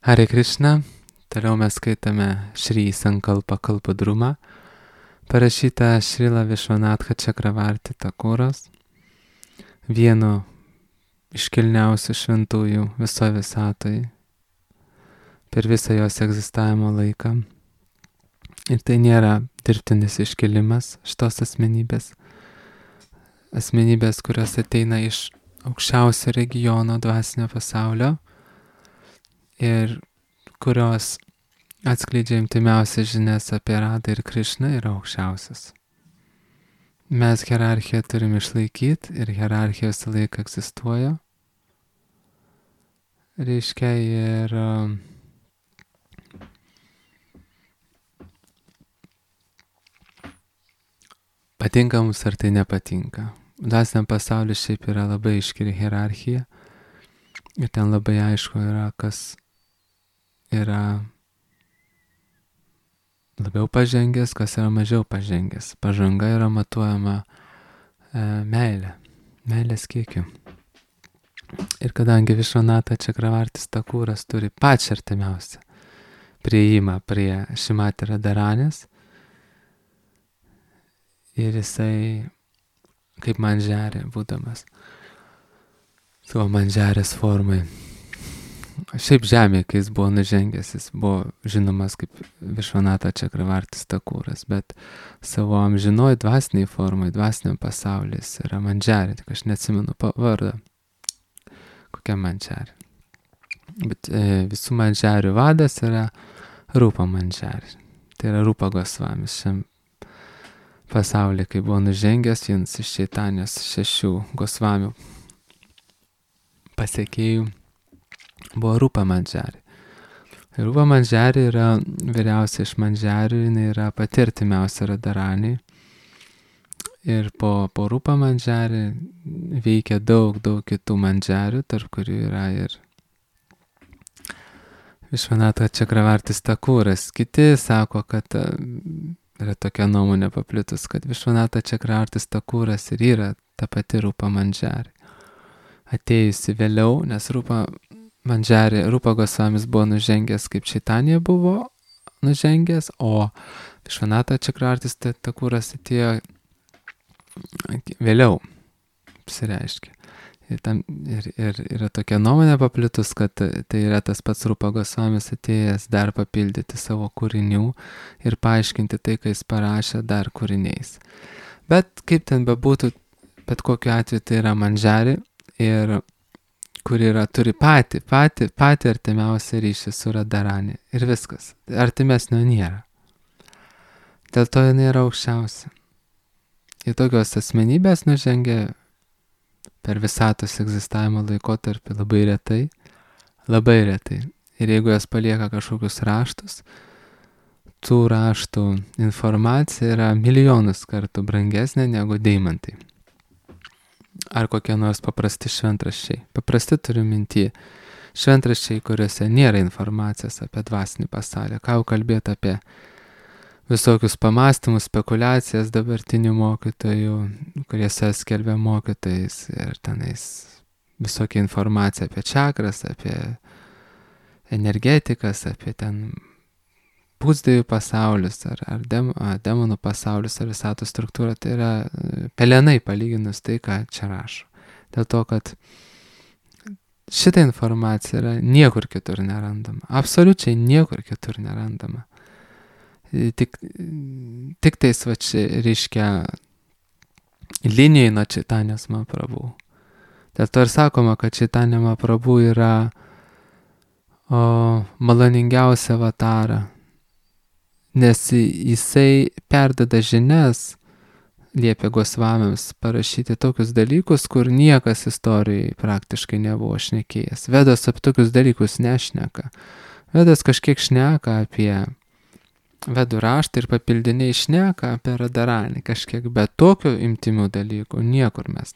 Hare Krishna, toliau mes skaitame Šri Sankalpa Kalpadruma, parašytą Šrila Višvanatha Čakravarti Takuros, vienu iškilniausių šventųjų viso visatoje per visą jos egzistavimo laiką. Ir tai nėra dirbtinis iškilimas šitos asmenybės, kurios ateina iš aukščiausio regiono dvasinio pasaulio ir kurios atskleidžia intimiausias žinias apie Radą ir Krišną, yra aukščiausias. Mes hierarchiją turim išlaikyti ir hierarchija visą laiką egzistuoja. Reiškia, ir patinka mums ar tai nepatinka. Dvasiniam pasauliu šiaip yra labai aiški hierarchija ir ten labai aišku yra, kas yra labiau pažengęs, kas yra mažiau pažengęs. Pažanga yra matuojama meilės kiekiu. Ir kadangi Višvanatha Čakravartis Takuras turi pačią artimiausią prieimą prie Šrimati Radharanės, ir jisai kaip manžerė būdamas savo manžerės formai. Šiaip žemė, kai jis buvo nužengęs, jis buvo žinomas kaip Višvanatha Čakravartis Takuras, bet savo amžinoj dvasiniai formai, dvasiniam pasaulis yra manžerė, tik aš neatsimenu vardą. Kokia manžerė. Bet visų manžerių vadas yra Rupa manžerė. Tai yra Rupa Gosvamis. Šiam pasaulyje, kai buvo nužengęs, vienas iš Čaitanijos 6 Gosvamių pasekėjų buvo Rupa manžerė. Rupa manžerė yra vyriausia iš manžerių, jinai yra pati artimiausia Radharaniai. Ir po Rupa manžerį veikia daug kitų manžerių, tarp kurių yra ir Višvanatha Čakravartis Takuras. Kiti sako, kad yra tokia nuomonė paplitus, kad Višvanatha Čakravartis Takuras ir yra ta pati Rupa manžerė. Atėjusi vėliau, nes Rupa Gosvamis buvo nužengęs, kaip Čaitanija buvo nužengęs, o Višvanatha Čakravartis Takuras atėjo vėliau, pasireiškia. Ir yra tokia nuomonė paplitus, kad tai yra tas pats Rupa Gosvamis atėjęs dar papildyti savo kūrinių ir paaiškinti tai, ką jis parašė dar kūriniais. Bet kaip ten bebūtų, bet kokiu atveju tai yra manžerė, ir kuri turi patį artimiausią ryšį su Radharani. Ir viskas. Artimesnio nėra. Dėl to jinai yra aukščiausia. Ir tokios asmenybės nužengia per visatos egzistavimo laikotarpį labai retai. Ir jeigu jos palieka kažkokius raštus, tų raštų informacija yra milijonus kartų brangesnė negu deimantai. Ar kokie nors paprasti šventraščiai. Paprasti turiu minty šventraščiai, kuriuose nėra informacijos apie dvasinį pasaulį. Ką jau kalbėti apie visokius pamastymus, spekulacijas dabartinių mokytojų, kurie skelbia mokytojais, ir tenais visokia informacija apie čakras, apie energetikas, apie ten pusdievių pasaulius, ar demonų pasaulius, ar visatos struktūrą. Tai yra pelenai palyginus tai, ką čia rašo. Dėl to, kad šitą informaciją yra niekur kitur nerandama. Absoliučiai niekur kitur nerandama. Tik tais reiškia linijai nuo Čaitanijos Mahaprabhu. Dėl to ir sakoma, kad Čaitanija Mahaprabhu yra maloningiausia avatara, nes jisai perdada žinias, liepia Gosvamiams parašyti tokius dalykus, kur niekas istorijai praktiškai nebuvo šnekėjęs. Vedos apie tokius dalykus nešneka. Vedas kažkiek šneka apie Vedų raštą ir papildiniai šneka apie Radharanį kažkiek, bet tokių imtimių dalykų niekur mes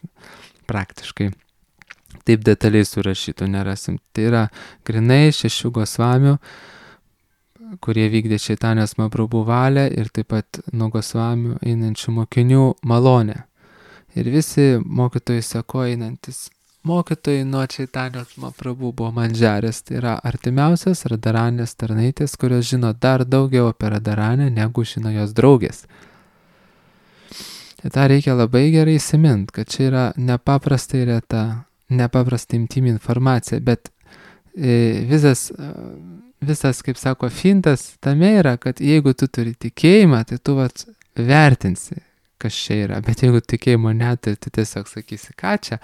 praktiškai taip detaliai surašytų nerasim. Tai yra grinai 6 Gosvamių, kurie vykdė Čaitanijos Mahaprabhu valią, ir taip pat nuo Gosvamių einančių mokinių malonę. Ir visi mokytojai seko einantis mokytojai nuo Čaitanijos Mahaprabhu buvo Mandžarės, tai yra artimiausias Radharanės tarnaitės, kurios žino dar daugiau apie Radharanę, negu žino jos draugės. Tai tą reikia labai gerai įsimint, kad čia yra nepaprastai reta, nepaprastai intymi informacija, bet visas, kaip sako, fintas tame yra, kad jeigu tu turi tikėjimą, tai tu vertinsi, kas čia yra, bet jeigu tikėjimo neturi, tai tiesiog sakysi, ką čia,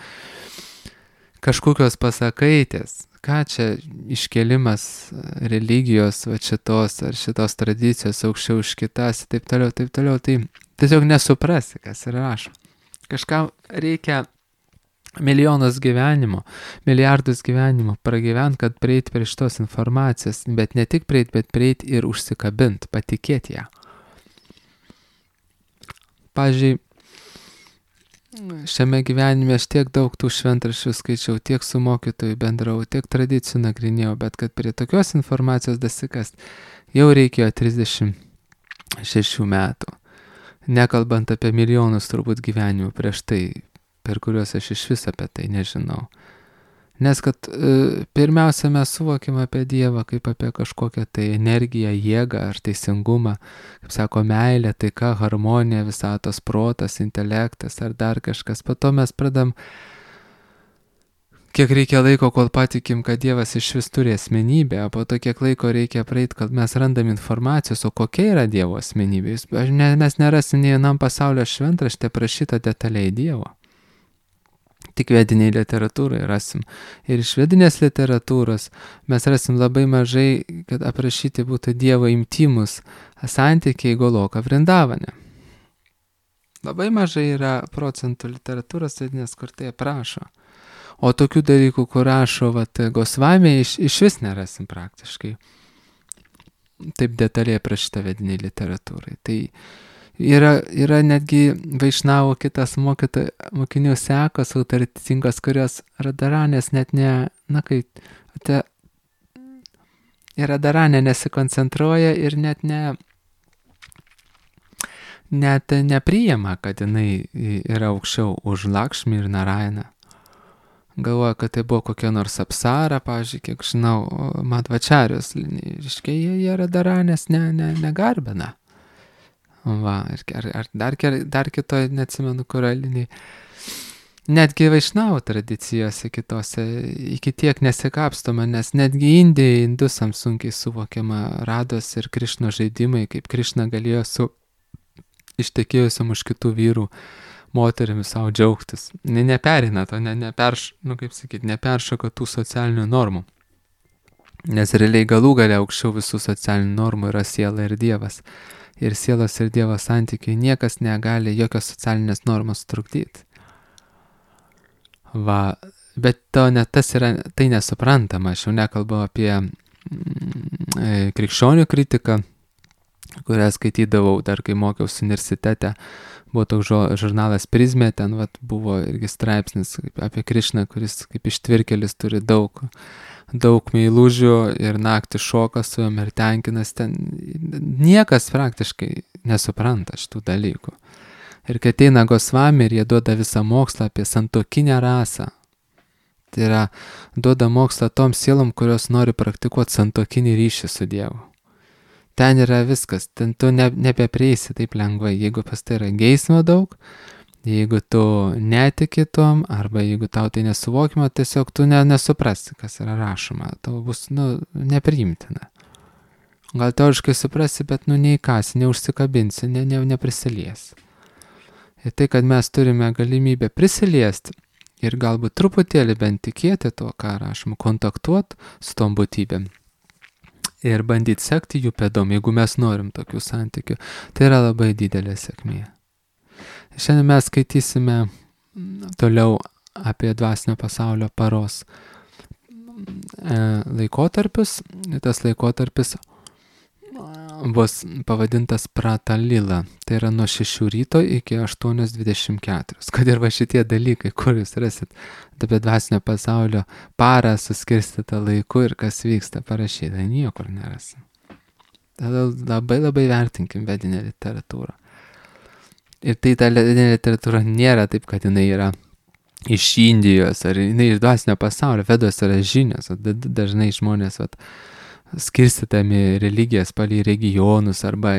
kažkokios pasakaitės, ką čia iškelimas religijos šitos ar šitos tradicijos aukščiau už kitas, taip toliau, tai tiesiog nesuprasi, kas yra rašoma. Kažkam reikia milijonus gyvenimo, milijardus gyvenimo pragyvent, kad prieit prie šitos informacijos, bet ne tik prieit, bet prieit ir užsikabint, patikėti ją. Pavyzdžiui, šiame gyvenime aš tiek daug tų šventraščių skaičiau, tiek su mokytoju bendrau, tiek tradicijų nagrinėjau, bet kad prie tokios informacijos dasikast jau reikėjo 36 metų. Nekalbant apie milijonus turbūt gyvenimų prieš tai, per kuriuos aš iš vis apie tai nežinau. Nes kad pirmiausia mes suvokim apie Dievą kaip apie kažkokią tai energiją, jėgą ar teisingumą, kaip sako, meilė, taika, harmonija, visatos protas, intelektas ar dar kažkas. Po to mes pradam, kiek reikia laiko, kol patikim, kad Dievas iš vis turi asmenybę, o po to kiek laiko reikia praeit, kad mes randam informacijos, o kokia yra Dievo asmenybė. Mes nerasim nei vienam pasaulio šventrašte prašyta detaliai Dievo. Tik vediniai literatūrai rasim. Ir iš vedinės literatūros mes rasim labai mažai, kad aprašyti būtų Dievo intimus santykiai Goloka Vrindavane. Labai mažai yra procentų literatūros vedinės, kur tai aprašo. O tokių dalykų, kur rašo Gosvamiai, iš vis nerasim praktiškai. Taip detaliai aprašyta vediniai literatūrai. Tai yra netgi Vaišnavo kitas mokinių sekos autoritetingos, kurios Radharanės net Radharanė nesikoncentruoja ir net nepriima, kad jinai yra aukščiau už Lakšmį ir Narainą. Galvoja, kad tai buvo kokia nors Apsara, pavyzdžiui, kiek žinau, Madhvačarijos linija. Reiškia, jie Radharanės negarbina. Va, ar dar kitoje, neatsimenu, kurio linijai. Netgi Vaišnavo tradicijose kitose iki tiek nesikapstoma, nes netgi Indijai, indusams sunkiai suvokiama Rados ir Krišno žaidimai, kaip Krišna galėjo su ištekėjusiam už kitų vyrų moterimis savo džiaugtis. Neperina to, neperšoka tų socialinių normų. Nes realiai galų galia aukščiau visų socialinių normų yra siela ir Dievas. Ir sielos ir Dievo santykiai niekas negali jokios socialinės normos trukdyti. Va, bet tai nesuprantama. Aš jau nekalbu apie krikščionių kritiką, kurią skaitydavau dar kai mokiausi universitete. Buvo toks žurnalas Prizmė, ten buvo irgi straipsnis apie Krišną, kuris kaip ištvirkelis turi daug meilužių ir naktį šoka su jom ir tenkinas. Ten niekas praktiškai nesupranta šitų dalykų. Ir kai ateina Gosvami ir jie duoda visą mokslą apie santuokinę rasą, tai yra duoda mokslą tom sielom, kurios nori praktikuoti santuokinį ryšį su Dievu. Ten yra viskas, ten tu nebeprieisi taip lengvai, jeigu pas tai yra geismo daug, jeigu tu netiki tom, arba jeigu tau tai nesuvokima, tiesiog tu nesuprasi, kas yra rašoma, tau bus, nepriimtina. Gal teoriškai suprasi, bet neįkasi, neužsikabinsi, neprisiliesi. Ir tai, kad mes turime galimybę prisiliesti ir galbūt truputėlį bent tikėti to, ką rašoma, kontaktuoti su tom būtybėm ir bandyti sekti jų pėdom, jeigu mes norim tokių santykių, tai yra labai didelė sėkmė. Šiandien mes skaitysime toliau apie dvasinio pasaulio paros laikotarpius. Tas laikotarpis bus pavadintas Pratalila. Tai yra nuo 6 ryto iki 8:24. Kad ir va šitie dalykai, kur jūs rasit apie dvasinio pasaulio parą suskirstytą laiku ir kas vyksta parašyta, niekur nerasim. Tada labai vertinkim vedinę literatūrą. Ir tai ta vedinė literatūra nėra taip, kad jinai yra iš Indijos, ar jinai iš dvasinio pasaulio. Vedos yra žinios. Dažnai žmonės skirstytami religijas palei regionus arba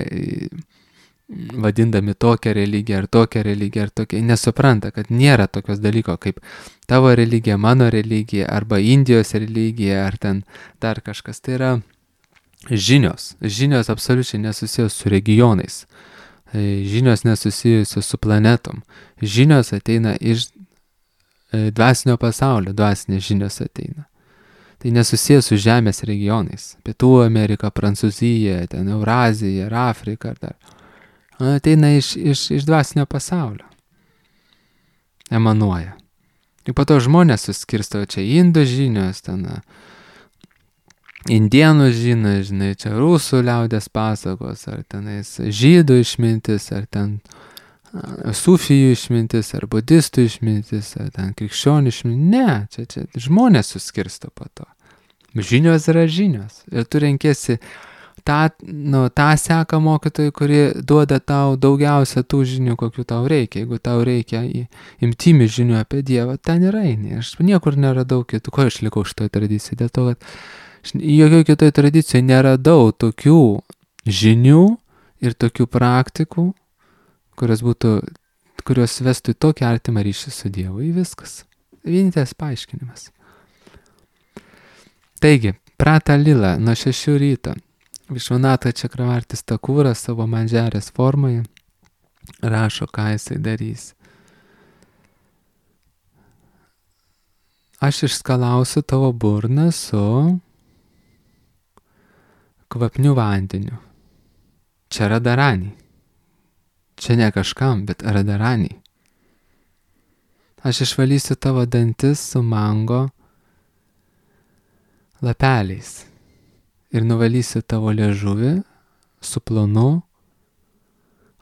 vadindami tokią religiją ar tokią religiją ar tokią, nesupranta, kad nėra tokios dalyko kaip tavo religija, mano religija arba Indijos religija ar ten dar kažkas. Tai yra žinios. Žinios absoliučiai nesusijęs su regionais. Žinios nesusijusios su planetom. Žinios ateina iš dvasinio pasaulio, dvasinės žinios ateina. Tai nesusijęs su žemės regionais. Pietų Amerika, Prancūzija, ten Eurazija ir Afrika ar dar. Ateina iš dvasinio pasaulio. Emanuoja. Ir po to žmonės suskirsto čia indų žinios, ten indienų žinios, žinai, čia rusų liaudės pasakos, ar tenais žydų išmintis, ar ten sufijų išmintis, ar budistų išmintis, ar ten krikščionių išmintis. Ne, čia žmonės suskirsto po to. Žinios yra žinios. Ir tu renkėsi tą seką mokytojų, kuri duoda tau daugiausia tų žinių, kokių tau reikia. Jeigu tau reikia imtimi žinių apie Dievą, ten ir eini. Aš niekur neradau kitų. Ko aš likau šitoje tradicijoje? Dėl to, kad jokioje kitoje tradicijoje neradau tokių žinių ir tokių praktikų, kurios vestų į tokį artimą ryšį su Dievu. Į viskas. Vienintelis paaiškinimas. Taigi, Prata Lila nuo 6 ryto. Višvanata Čakravartis Takūras savo mandžarės formoje rašo, ką jisai darys. Aš išskalausiu tavo burną su kvapniu vandeniu. Čia Radarani. Čia ne kažkam, bet Radarani. Aš išvalysiu tavo dantis su mango lapeliais. Ir nuvalysiu tavo liežuvį su plonu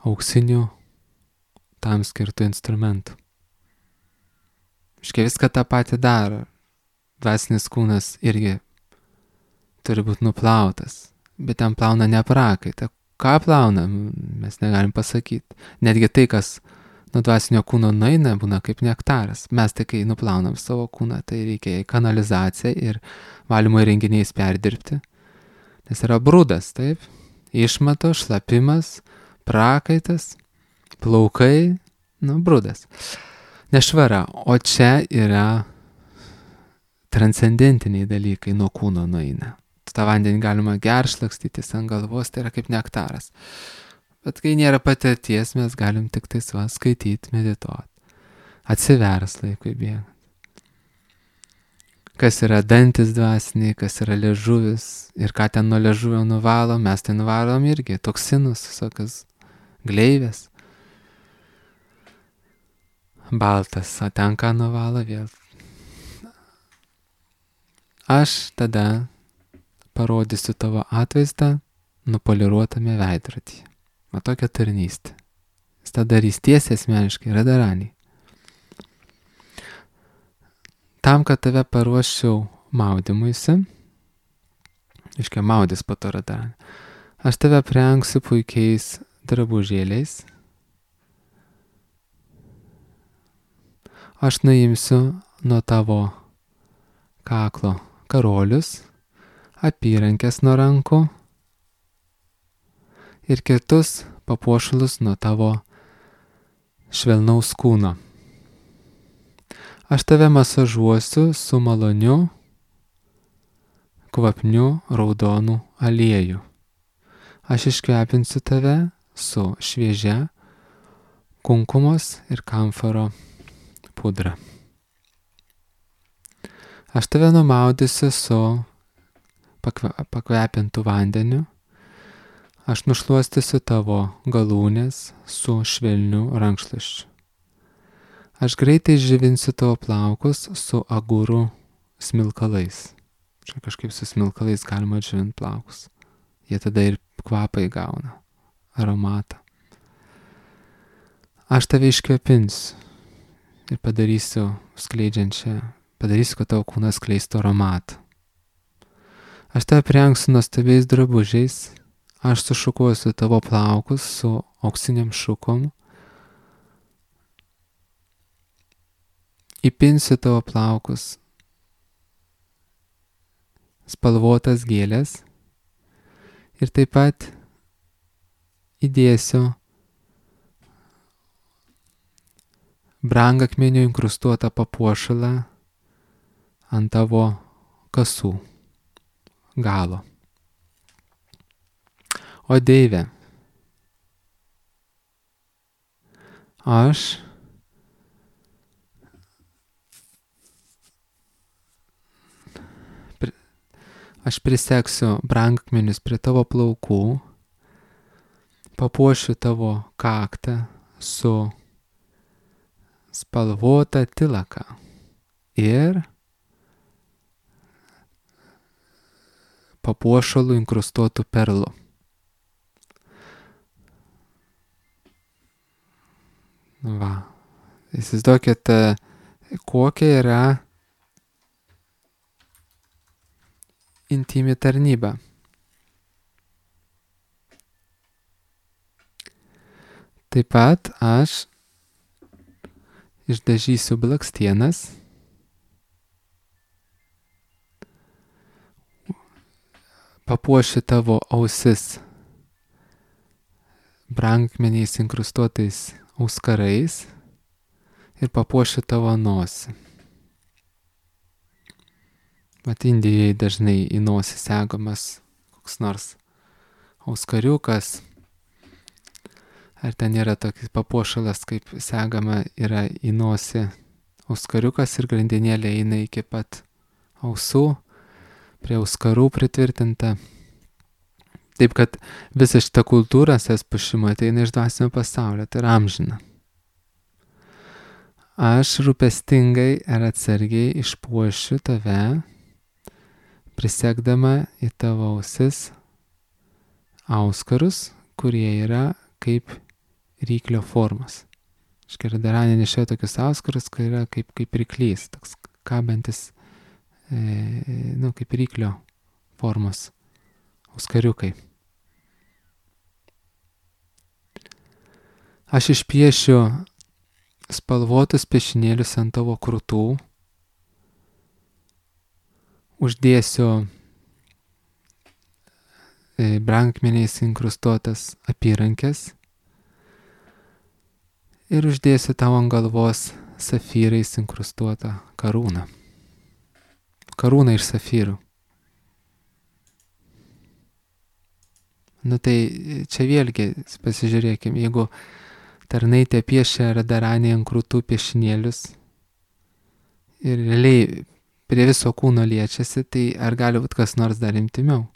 auksiniu tam skirtų instrumentų. Iškia viską tą patį daro. Dvasinis kūnas irgi turi būti nuplautas, bet ten plauna ne prakaitą. Ką plauna, mes negalim pasakyti. Netgi tai, kas nuo dvasinio kūno nueina, būna kaip nektaras. Mes tai, kai nuplaunam savo kūną, tai reikia į kanalizaciją ir valymo įrenginiais perdirbti. Nes yra brudas, taip? Išmato, šlapimas, prakaitas, plaukai, brudas. Nešvara. O čia yra transcendentiniai dalykai nuo kūno nueina. tą vandenį galima geršlakstytis ant galvos, tai yra kaip nektaras. Bet kai nėra patirties, mes galim tik tai skaityti, medituoti. Atsivers laikui bėgant. Kas yra dantis dvasiniai, kas yra liežuvis ir ką ten nuo liežuvio nuvalom, mes tai nuvalom irgi, toksinus, visokias gleivės. Baltas, o ten ką nuvalo vėl. Aš tada parodysiu tavo atvaizdą nupoliruotame veidrodyje. O tokia tarnystė. Jis tą darys tiesiai asmeniškai, Radarani. Tam, kad tave paruoščiau maudymuisi, iškia maudys po to Radarani, aš tave aprengsiu puikiais drabužėliais, aš nuimsiu nuo tavo kaklo karolius, apyrankės nuo rankų ir kitus papuošalus nuo tavo švelnaus kūno. Aš tave masažuosiu su maloniu, kvapniu raudonų aliejų. Aš iškvepinsiu tave su šviežia kunkumos ir kamforo pudra. Aš tave numaudysiu su pakvepintu vandeniu. Aš nušluostysiu tavo galūnės su švelniu rankšluosčiu. Aš greitai žyvinsiu tavo plaukus su agurų smilkalais. Čia kažkaip su smilkalais galima žyvinti plaukus. Jie tada ir kvapą įgauna, aromatą. Aš tave iškvepinsiu ir padarysiu kad tavo kūnas skleistų aromatą. Aš tave aprengsiu nuostabiais drabužiais. Aš sušukuosiu tavo plaukus su auksiniam šukom. įpinsiu tavo plaukus spalvotas gėlės ir taip pat įdėsiu brangakmeniu inkrustuotą papuošalą ant tavo kasų galo. O Deive, aš prisegsiu brangakmenius prie tavo plaukų, papuošiu tavo kaktą su spalvota tilaka ir papuošalų inkrustuotų perlų. Va, įsivaizduokit, kokia yra intymi tarnyba. Taip pat aš išdažysiu blakstienas, papuošiu tavo ausis brangakmeniais inkrustuotais auskarais ir papuošiu tavo nosį. Mat Indijoje dažnai į nosį segamas koks nors auskariukas, ar ten yra tokis papuošalas, kaip segama yra į nosį auskariukas ir grandinėlė eina iki pat ausų, prie auskarų pritvirtinta. Taip kad visa šita kultūra puošimo ateina iš dvasinio pasaulio, tai yra amžina. Aš rūpestingai ir atsargiai išpuošiu tave, prisegdama į tavo ausis auskarus, kurie yra kaip ryklio formos. Radharanė nešioja tokius auskarus, kurie yra kaip ryklys, toks kabantis, kaip ryklio formos auskariukai. Aš išpiešiu spalvotus piešinėlius ant tavo krūtų, uždėsiu brangakmeniais inkrustuotas apyrankes ir uždėsiu tau ant galvos safyrais inkrustuotą karūną. Karūną iš safyrų. Tai čia vėlgi pasižiūrėkime, jeigu tarnaitė piešia Radharanė ant krūtų piešinėlius ir realiai prie viso kūno liečiasi, tai ar gali būti kas nors dar intimiau?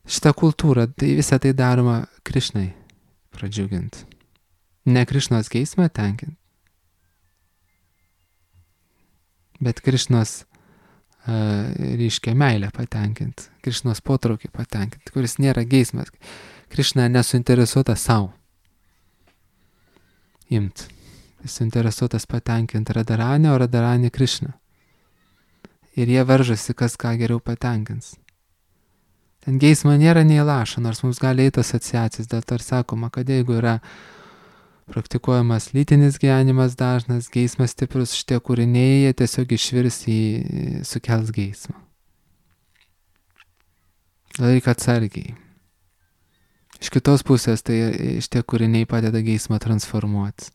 Šitą kultūrą, tai visą tai daroma Krišnai pradžiuginti. Ne Krišnos geismą tenkinti, bet Krišnos reiškia meilę patenkinti, Krišnos potraukį patenkinti, kuris nėra geismas. Krišna nesuinteresuota savo imti. Jis suinteresuotas patenkinti Radharanę, o Radharanė Krišną. Ir jie varžosi, kas ką geriau patenkins. Ten geismo nėra nei lašo, nors mums gali eiti asociacijas, dėl to ir sakoma, kad jeigu yra praktikuojamas lytinis gyvenimas dažnas, geismas stiprus, šitie kūriniai, jie tiesiog išvirs į sukels geismą. Reikia atsargiai. Iš kitos pusės, tai šitie kūriniai padeda geismą transformuoti.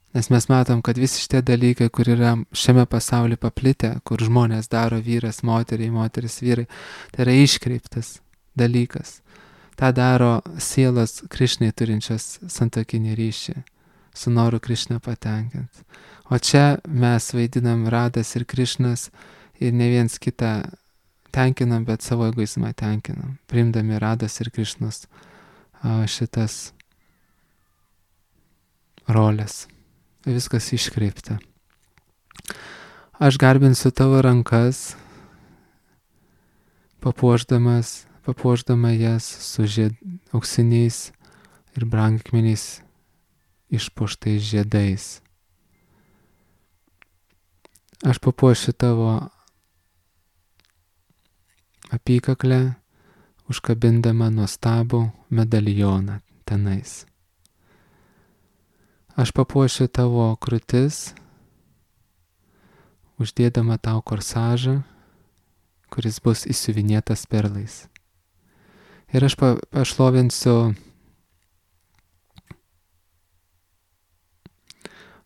Nes mes matom, kad visi šitie dalykai, kur yra šiame pasaulyje paplitę, kur žmonės daro vyras, moteriai, moteris, vyrai, tai yra iškreiptas dalykas. Ta daro sielos Krišnai turinčios santuokinį ryšį, su noru Krišną patenkinti. O čia mes vaidinam Radas ir Krišnas ir ne viens kitą tenkinam, bet savo egoizmą tenkinam, priimdami Radas ir Krišnos šitas rolės. Viskas iškreipta. Aš garbinsiu tavo rankas, papuošdama jas su auksiniais ir brangakmeniais išpuoštais žiedais. Aš papuošiu tavo apykaklę, užkabindama nuostabų medalioną tenais. Aš papuošiu tavo krūtis, uždėdama tau korsažą, kuris bus įsiuvinėtas perlais. Ir aš pašlovinsiu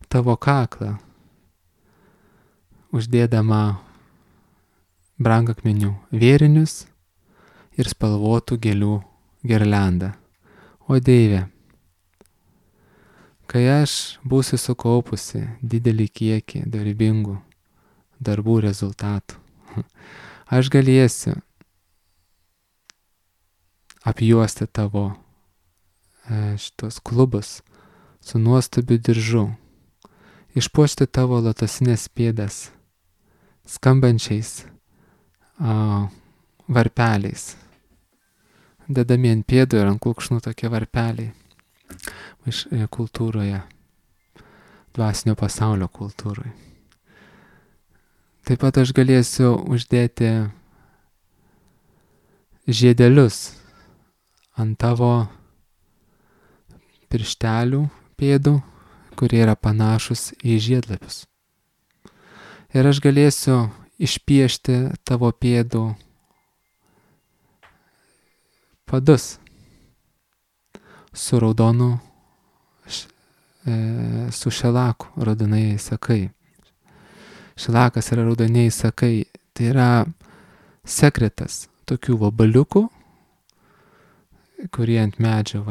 tavo kaklą, uždėdama brangakmenių vėrinius ir spalvotų gėlių girliandą. O Dieve, kai aš būsiu sukaupusi didelį kiekį dorybingų darbų rezultatų, aš galėsiu apjuosti tavo šitos klubus su nuostabiu diržu, išpuošti tavo lotosinės pėdas skambančiais varpeliais, dedami ant pėdų ir ant kulkšnų tokie varpeliai iš kultūroje, dvasinio pasaulio kultūroje. Taip pat aš galėsiu uždėti žiedelius ant tavo pirštelių pėdų, kurie yra panašus į žiedlapius. Ir aš galėsiu išpiešti tavo pėdų padus su raudonu, su šelaku, raudonai sakai. Šelakas yra raudoniai sakai, tai yra sekretas tokių vabaliukų, kurie ant medžio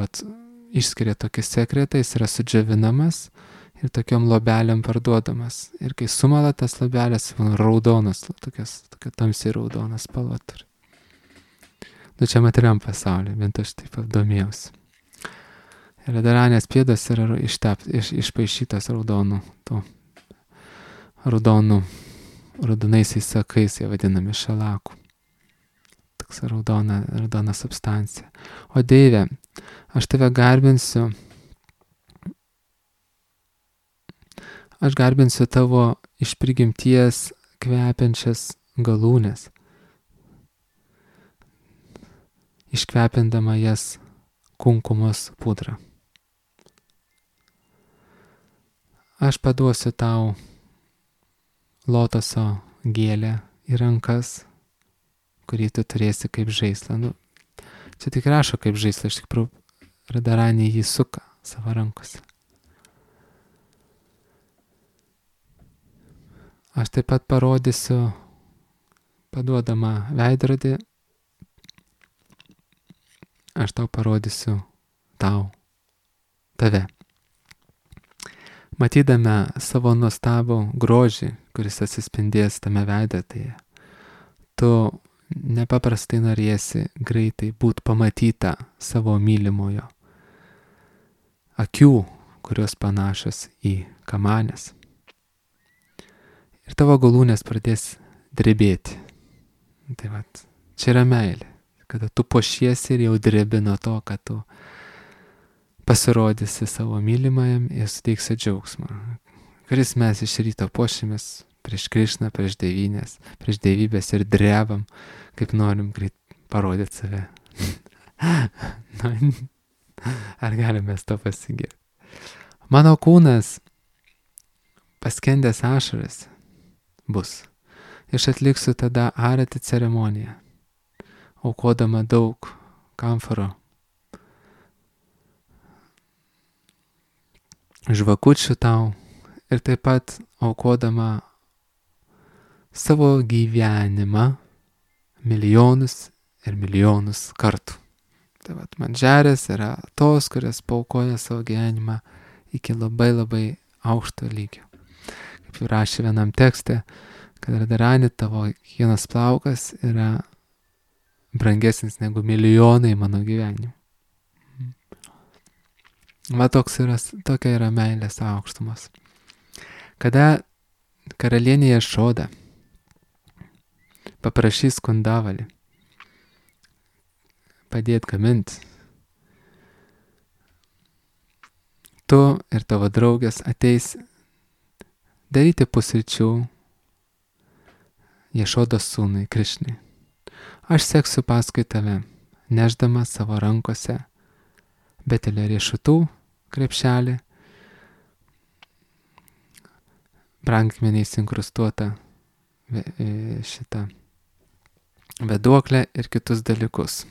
išskiria tokį sekretą, jis yra sudžiavinamas ir tokiom lobelėm parduodamas. Ir kai sumala tas lobelės, raudonas, tokia tamsiai raudonas spalva turi. Čia materiam pasaulyje, bent aš taip domėjausi. Ir daranės pėdos yra išpaišytas raudonaisiais sakais, jie vadinami šelaku. Toks raudona substancija. O Dieve, aš tave garbinsiu. Aš garbinsiu tavo iš prigimties kvepiančias galūnes, iškvepindama jas kunkumos pudrą. Aš paduosiu tau lotoso gėlę į rankas, kurį tu turėsi kaip žaislą. Čia tik rašo kaip žaislą, iš tikrųjų Radharani jį suka savo rankose. Aš taip pat parodysiu, paduodama veidrodį, aš tau parodysiu tave. Matydama savo nuostabų grožį, kuris atsispindės tame veidrodyje, tu nepaprastai norėsi greitai būti pamatyta savo mylimojo akių, kurios panašios į kamanės. Ir tavo galūnės pradės drebėti. Tai čia yra meilė, kada tu puošiesi ir jau drebi nuo to, kad tu pasirodysi savo mylimajam ir suteiksi džiaugsmą. Kuris mes iš ryto puošimės prieš Krišną, prieš dievybės ir drebam, kaip norim greit parodyti save. Ar galime to pasigirti? Mano kūnas paskendęs ašaras bus. Aš atliksiu tada arati ceremoniją, aukodama daug kamforo, žvakučių tau ir taip pat aukodama savo gyvenimą milijonus ir milijonus kartų. Tai manžerės yra tos, kurios paaukoja savo gyvenimą iki labai labai aukšto lygio. Kaip jau rašė vienam tekste, kad Radharani tavo kiekvienas plaukas yra brangesnis negu milijonai mano gyvenimų. Tokia yra meilės aukštumas. Kada karalienė Jašoda paprašys Kundavalį padėti gaminti, tu ir tavo draugės ateis daryti pusryčių Jašodos sūnui Krišnai. Aš seksiu paskui tave, neždama savo rankose betelio riešutų krepšelį, brangakmeniais inkrustuotą šitą vėduoklę ir kitus dalykus.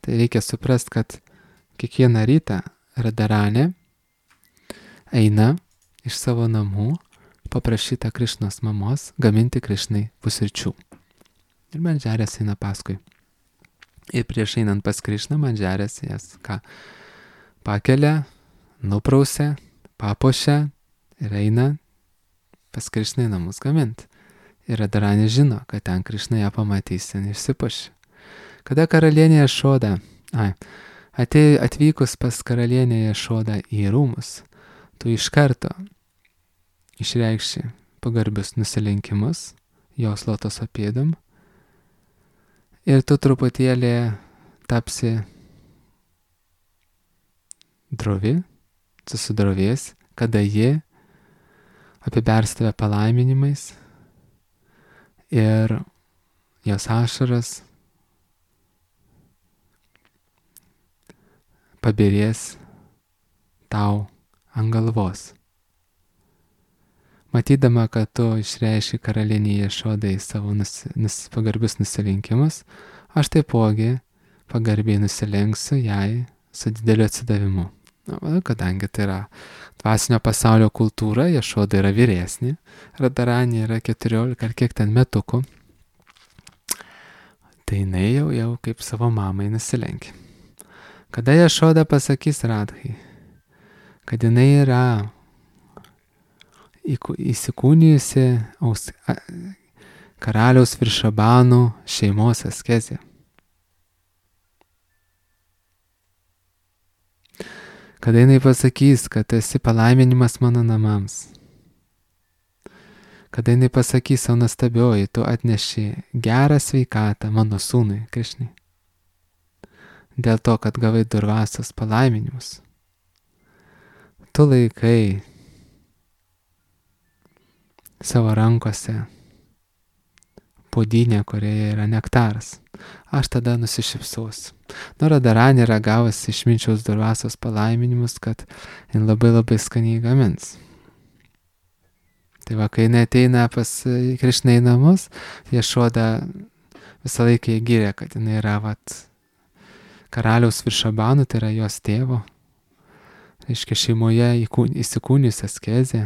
Tai reikia suprast, kad kiekvieną rytą Radharanė eina iš savo namų paprašyta Krišnos mamos gaminti Krišnai pusryčių. Ir Mandžarės eina paskui. Ir prieš einant pas Krišną, Mandžarės jas pakelia, nuprausia, papuošia ir eina pas Krišną į namus gaminti. Ir Radharanė žino, kad ten Krišna ją pamatys ir išsipuošia. Kada karalienė Jašoda, atvykus pas karalienę Jašodą į rūmus, tu iš karto išreikši pagarbius nusilenkimus jos lotoso pėdom ir tu truputėlį tapsi drovi, susidrovės, kada ji apibers tave palaiminimais ir jos ašaras pabirės tau ant galvos. Matydama, kad tu išreiški karalienei Jašodai savo pagarbius nusilenkimus, aš taipogi pagarbiai nusilenksiu jai su dideliu atsidavimu. Kadangi tai yra dvasinio pasaulio kultūra, Jašoda yra vyresnė, Radharanė yra 14 ar kiek ten metukų, tai jinai jau kaip savo mamai nusilenkia. Kada Jašoda pasakys Radhai, kad jinai yra įsikūnijusi karaliaus Viršabanų šeimos askezė. Kada jinai pasakys, kad esi palaiminimas mano namams. Kada jinai pasakys, o nuostabioji, tu atneši gerą sveikatą mano sūnui Krišnai. Dėl to, kad gavai durvasios palaiminimus. Tu laikai savo rankose puodynę, kurioje yra nektaras. Aš tada nusišypsosiu. Radharanė yra gavusi iš minčiaus durvasios palaiminimus, kad jin labai skaniai gamins. Tai va, kai jinai ateina pas Krišną į namus, Jašoda visą laiką įgyrė, kad jinai yra karaliaus Viršabanų, tai yra jos tėvo. Reiškia, šeimoje įsikūnijusi askezė,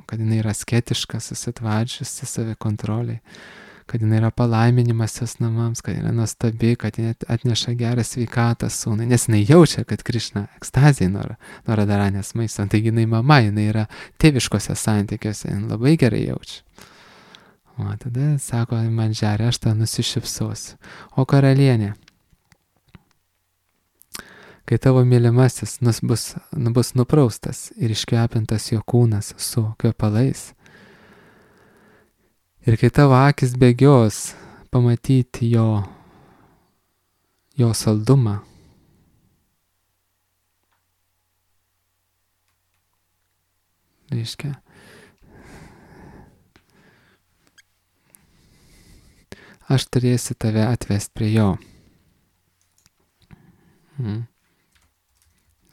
kad jinai yra asketiška, susitvardžiusi savikontroliai, kad jinai yra palaiminimas jos namams, kad jinai nuostabi, kad jinai atneša gerą sveikatą sūnui, nes jinai jaučia, kad Krišna ekstazijai nuo Radharanės maisto, taigi jinai mama, jinai yra tėviškose santykiuose, jinai labai gerai jaučia. O tada sako Mandžarė, aš tą nusišypsosiu. O karalienė, kai tavo mylimasis bus nupraustas ir iškvepintas jo kūnas su kvepalais, ir kai tavo akis bėgios pamatyti jo saldumą, reiškia, aš turėsiu tave atvesti prie jo.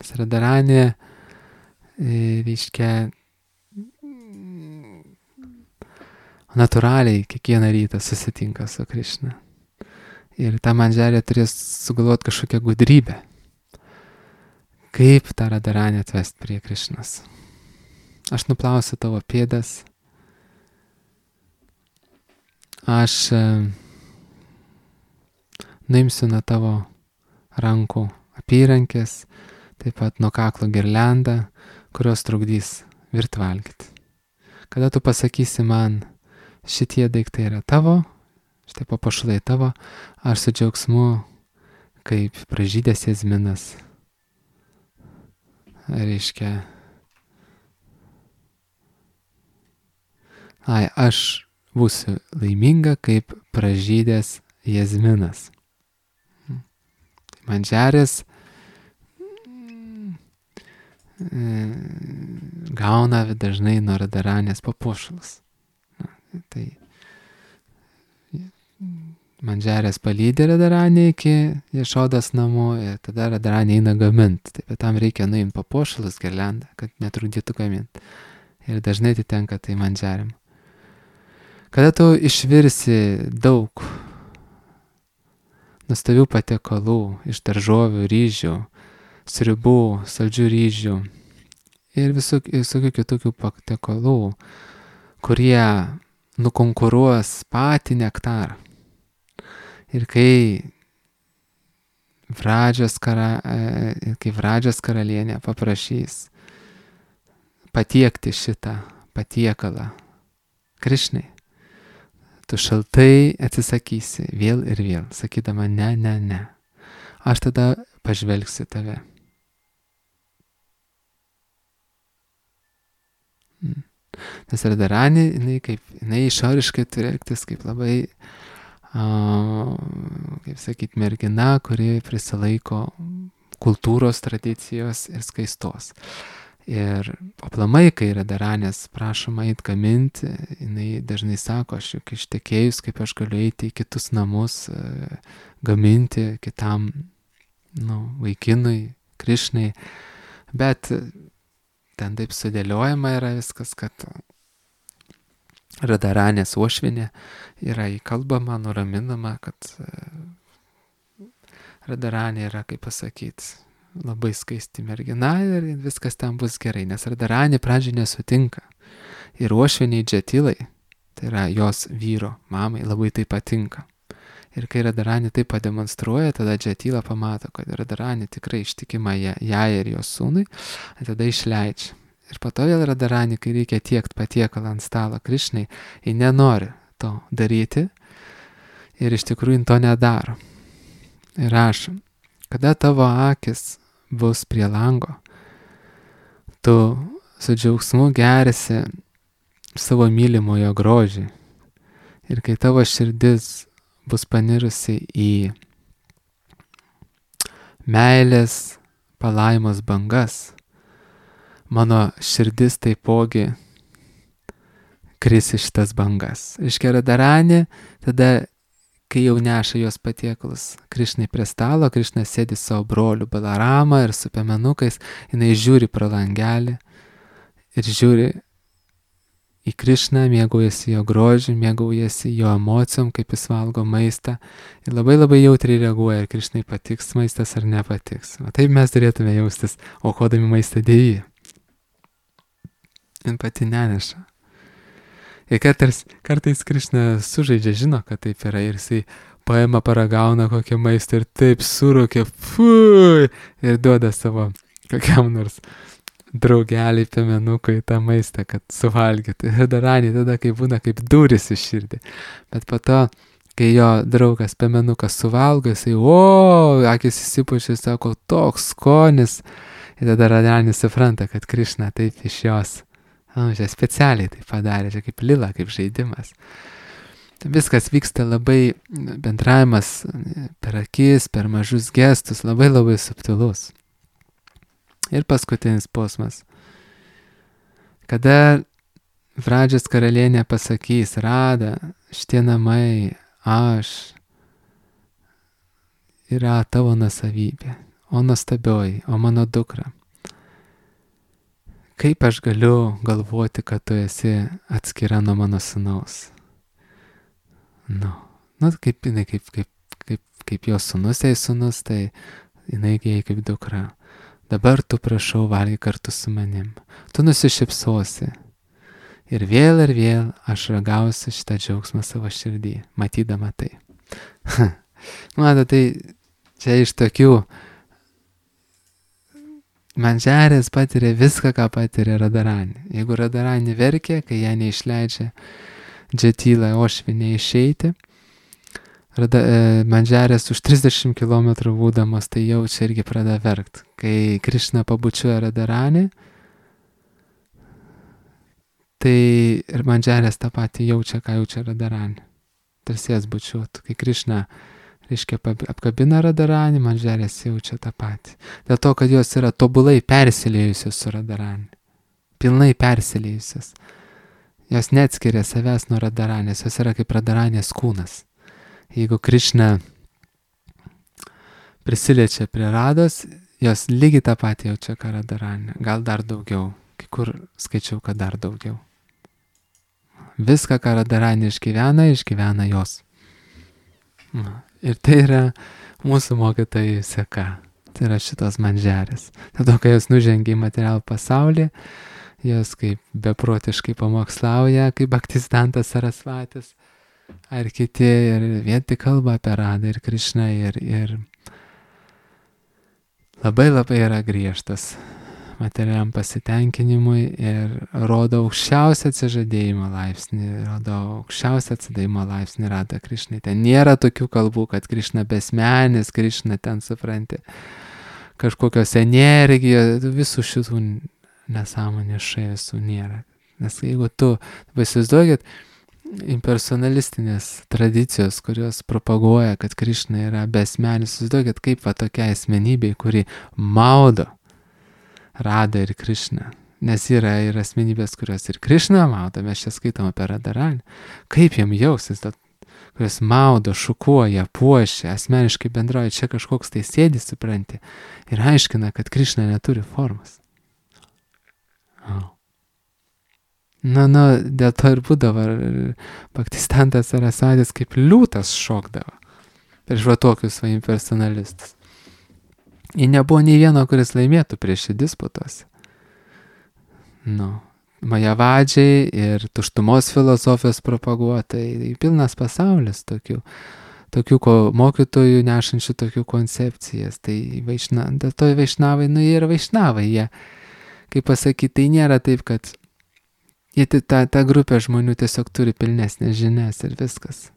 Radharanė, reiškia, natūraliai kiekvieną rytą susitinka su Krišna. Ir ta Mandžarė turės sugalvoti kažkokią gudrybę. Kaip tą Radharanę atvesti prie Krišnos. Aš nuplausiu tavo pėdas. Aš nuimsiu nuo tavo rankų apyrankės, taip pat nuo kaklo girliandą, kurios trukdys virt valgyti. Kada tu pasakysi man, šitie daiktai yra tavo, šitie papuošalai tavo, aš su džiaugsmu, kaip pražydęs jazminas, reiškia, aš būsiu laiminga, kaip pražydęs jazminas. Mandžarės gauna dažnai nuo Radharanės papuošalus. Tai Mandžiarės palydė Radaranį iki Ješodos namų ir tada Radaranį eina gaminti. Taip, bet tam reikia nuimti papuošalus, girliandą, kad netrukdytų gaminti. Ir dažnai atitenka tai Mandžiarėm. Kada tu išvirsi daug nuostabių patiekalų iš daržovių, ryžių, sriubų, saldžių ryžių ir visokių kitokių patiekalų, kurie nukonkuruos patį nektarą. Ir kai Vradžios karalienė paprašys patiekti šitą patiekalą Krišnai, tu šaltai atsisakysi vėl ir vėl, sakydama ne. Aš tada pažvelgsiu tave. Nes Radaranė, jinai išoriškai turi elgtis kaip labai kaip sakyt, mergina, kuri prisilaiko kultūros tradicijos ir skaistos. Ir aplamai, kai Radaranės prašoma eit gaminti, jinai dažnai sako, aš juk ištekėjus, kaip aš galiu eiti į kitus namus, gaminti kitam vaikinui, Krišnai. Bet ten taip sudėliojama yra viskas, kad Radaranės uošvienė yra įkalbama, nuraminama, kad Radaranė yra, kaip pasakyti, labai skaisti mergina ir viskas ten bus gerai, nes Radaranė pradžiai nesutinka. Ir uošvieniai Džetilai, tai yra jos vyro mamai, labai tai patinka. Ir kai Radaranė tai pademonstruoja, tada Džetila pamato, kad Radaranė tikrai ištikima jai ir jos sūnui, tada išleidžia. Ir po to vėl Radaranė, kai reikia tiekti patiekalą ant stalo Krišnai, ji nenori to daryti ir iš tikrųjų to nedaro. Ir rašo, kada tavo akis bus prie lango, tu su džiaugsmu gerisi savo mylimojo grožį. Ir kai tavo širdis bus panirusi į meilės palaimos bangas, mano širdis taipogi kris iš tas bangas. Reiškia, Radaranė, tada, kai jau neša jos patiekalus Krišnai prie stalo, Krišna sėdi savo broliu Balaramą ir su piemenukais, jinai žiūri pro langelį ir žiūri į Krišną, mėgaujasi jo grožiu, mėgaujasi jo emocijom, kaip jis valgo maistą ir labai labai jautriai reaguoja, ar Krišnai patiks maistas ar nepatiks. O taip mes turėtume jaustis, aukodami maistą Dievui. Jin pati neneša. Ir kartais Krišna sužaidžia, žino, kad taip yra ir jisai paima, paragauna kokią maistą ir taip surūkia, fui, ir duoda savo kokiam nors draugeliai piemenukui tą maistą, kad suvalgytų. Ir Radaranė tada, kai būna kaip durys į širdį. Bet po to, kai jo draugas piemenukas suvalgo, jisai, akis įsipučia, sako, toks skonis. Ir tada Radaranė supranta, kad Krišna taip iš jos čia specialiai tai padarė, čia kaip lila, kaip žaidimas. Viskas vyksta labai, bendravimas per akis, per mažus gestus, labai labai subtilus. Ir paskutinis posmas. Kada Vradžios karalienė pasakys, Rada, šitie namai, aš, yra tavo nuosavybė, o nuostabioji, o mano dukra. Kaip aš galiu galvoti, kad tu esi atskira nuo mano sūnaus? Kaip jinai, kaip jos sūnus, jai sūnus, tai jinai jai kaip dukra. Dabar tu prašau valgy kartu su manim. Tu nusišypsosi. Ir vėl aš ragausiu šitą džiaugsmą savo širdį, matydama tai. Mato, tai čia iš tokių Mandžiarės patiria viską, ką patiria Radaranė. Jeigu Radaranė verkia, kai ją neišleidžia Džetila uošvienė išeiti, Mandžiarės už 30 km būdamos tai jaučia irgi pradeda verkt. Kai Krišna pabučiuoja Radaranį, tai ir Mandžiarės tą patį jaučia, ką jaučia Radaranė. Tarsi jas bučiuotų. Kai Krišna reiškia, apkabina Radaranį, Mandžiarės jaučia tą patį. Dėl to, kad jos yra tobulai persiliejusios su Radaranį. Pilnai persiliejusios. Jos neatskiria savęs nuo Radaranės, jos yra kaip Radaranės kūnas. Jeigu Krišna prisiliečia prie Rados, jos lygiai tą patį jaučia, ką Radharani. Gal dar daugiau. Kai kur skaičiau, kad dar daugiau. Viską, ką Radharani išgyvena jos. Ir tai yra mūsų mokytojų seka. Tai yra šitos manžerės. Tada, kai jos nužengia į materialų pasaulį, jos kaip beprotiškai pamokslauja, kaip Bhaktisiddhanta Sarasvatis, ar kiti, ir vien tik kalba apie Radą ir Krišną, ir labai yra griežtas materialiam pasitenkinimui ir rodo aukščiausią atsižadėjimo laipsnį, rodo aukščiausią atsidavimo laipsnį Radha Krišnai. Ten nėra tokių kalbų, kad Krišna besmenis, Krišna ten, supranti, kažkokios energijos, visų šitų nesąmonės šaisų nėra. Nes jeigu tu, įsivaizduokit, impersonalistinės tradicijos, kurios propaguoja, kad Krišna yra besmenis, įsivaizduokit, kaip va tokia asmenybė, kuri maudo Radą ir Krišną. Nes yra ir asmenybės, kurios ir Krišną maudo, mes čia skaitom apie Radharani. Kaip jam jausis, kurios maudo, šukuoja, puošia, asmeniškai bendrauja, čia kažkoks tai sėdi, supranti, ir aiškina, kad Krišna neturi formos. Dėl to ir būdavo Bhaktisiddhanta Sarasvatis kaip liūtas šokdavo prieš va tokius va impersonalistus. Ir nebuvo nei vieno, kuris laimėtų prieš šį disputuose. Majavadžiai ir tuštumos filosofijos propaguotojai, pilnas pasaulis tokių mokytojų nešančių tokių koncepcijas. Tai dėl to vaišnavai, jie yra vaišnavai. Jie, kaip pasakyti, tai nėra taip, kad jie ta grupė žmonių tiesiog turi pilnesnės žinias ir viskas.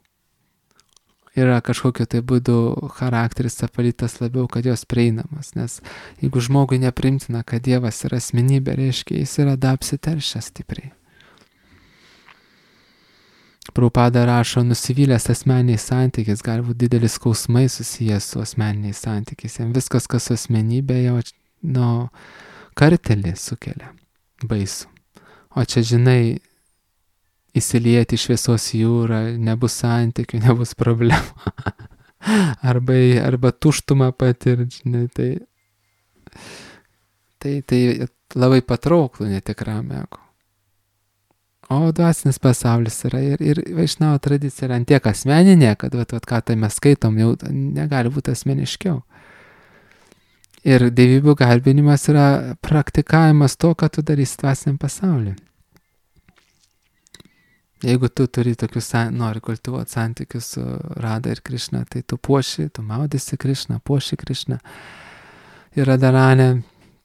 Yra kažkokio tai būdu charakteris apvalytas labiau, kad jos prieinamas. Nes jeigu žmogui neprimtina, kad Dievas yra asmenybė, reiškia, jis yra apsiteršęs stipriai. Prabhupada rašo, nusivylęs asmeniniais santykiais, gali būti didelis skausmai susijęs su asmeniniais santykiais. Jam viskas, kas su asmenybė, jau kartelį sukelia baisų. O čia, žinai, įsilieti šviesos jūrą, nebus santykių, nebus problemų. arba tuštumą patirti, žinai, tai labai patrauklų netikram ego. O dvasinis pasaulis yra ir vaišnavo tradicija yra antiek asmeninė, kad ką tai mes skaitom, jau negali būti asmeniškiau. Ir dievybių garbinimas yra praktikavimas to, ką tu darysi dvasiniam pasauliu. Jeigu tu turi nori kultivuoti santykius su Rada ir Krišna, tai tu puoši, tu maudysi Krišną, puoši Krišną. Ir Radharani,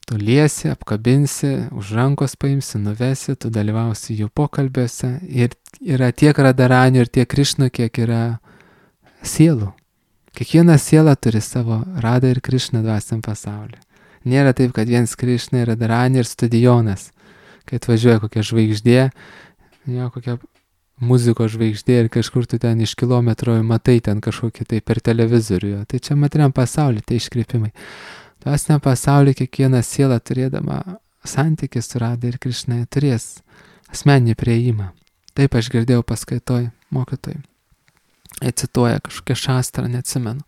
tu liesi, apkabinsi, už rankos paimsi, nuvesi, tu dalyvausi jų pokalbiuose. Ir yra tiek Radharani ir tiek Krišnų, kiek yra sielų. Kiekviena siela turi savo Radą ir Krišną dvasiniam pasauliu. Nėra taip, kad vienas Krišna yra Radharani ir stadionas. Kai atvažiuoja kokia žvaigždė, kokia muzikos žvaigždė ir kažkur tu ten iš kilometro matai ten kažkokį tai per televizorių. Tai čia materiam pasaulyje, tai iškreipimai. Dvasiniam pasaulyje kiekviena siela turėdama santykį su Rada ir Krišna turės asmeninį prieimą. Taip aš girdėjau paskaitoj mokytojai. Jie cituoja kažkokią šastrą, neatsimenu,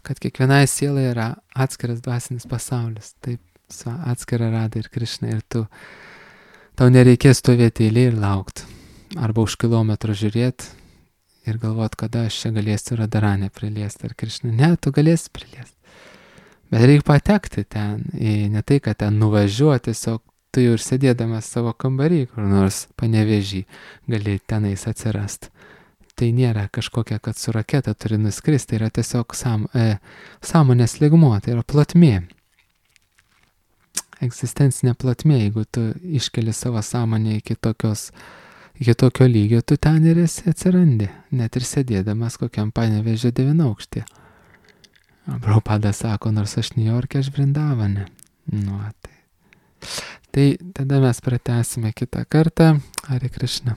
kad kiekvienai sielai yra atskiras dvasinis pasaulis. Taip, atskira Rada ir Krišna ir tau nereikės stovėti eilėje ir laukti. Arba už kilometro žiūrėti ir galvoti, kada aš čia galėsiu Radharani priliesti ar Krišną. Ne, tu galėsi priliesti. Bet reikia patekti ten, ne tai, kad ten nuvažiuoti, tiesiog tu jau ir sėdėdamas savo kambarį, kur nors Panevėžy, gali tenais atsirasti. Tai nėra kažkokia, kad su raketa turi nuskristi, tai yra tiesiog sąmonės lygmuo, tai yra plotmė. Egzistencinė plotmė, jeigu tu iškeli savo sąmonę iki tokio lygio, tu ten ir esi atsirandi, net ir sėdėdamas kokiam Panevėžio 9-aukštyje. Prabhupada sako, nors aš Niujorke, aš Vrindavane. Tai tada mes pratęsime kitą kartą. Hare Krishna.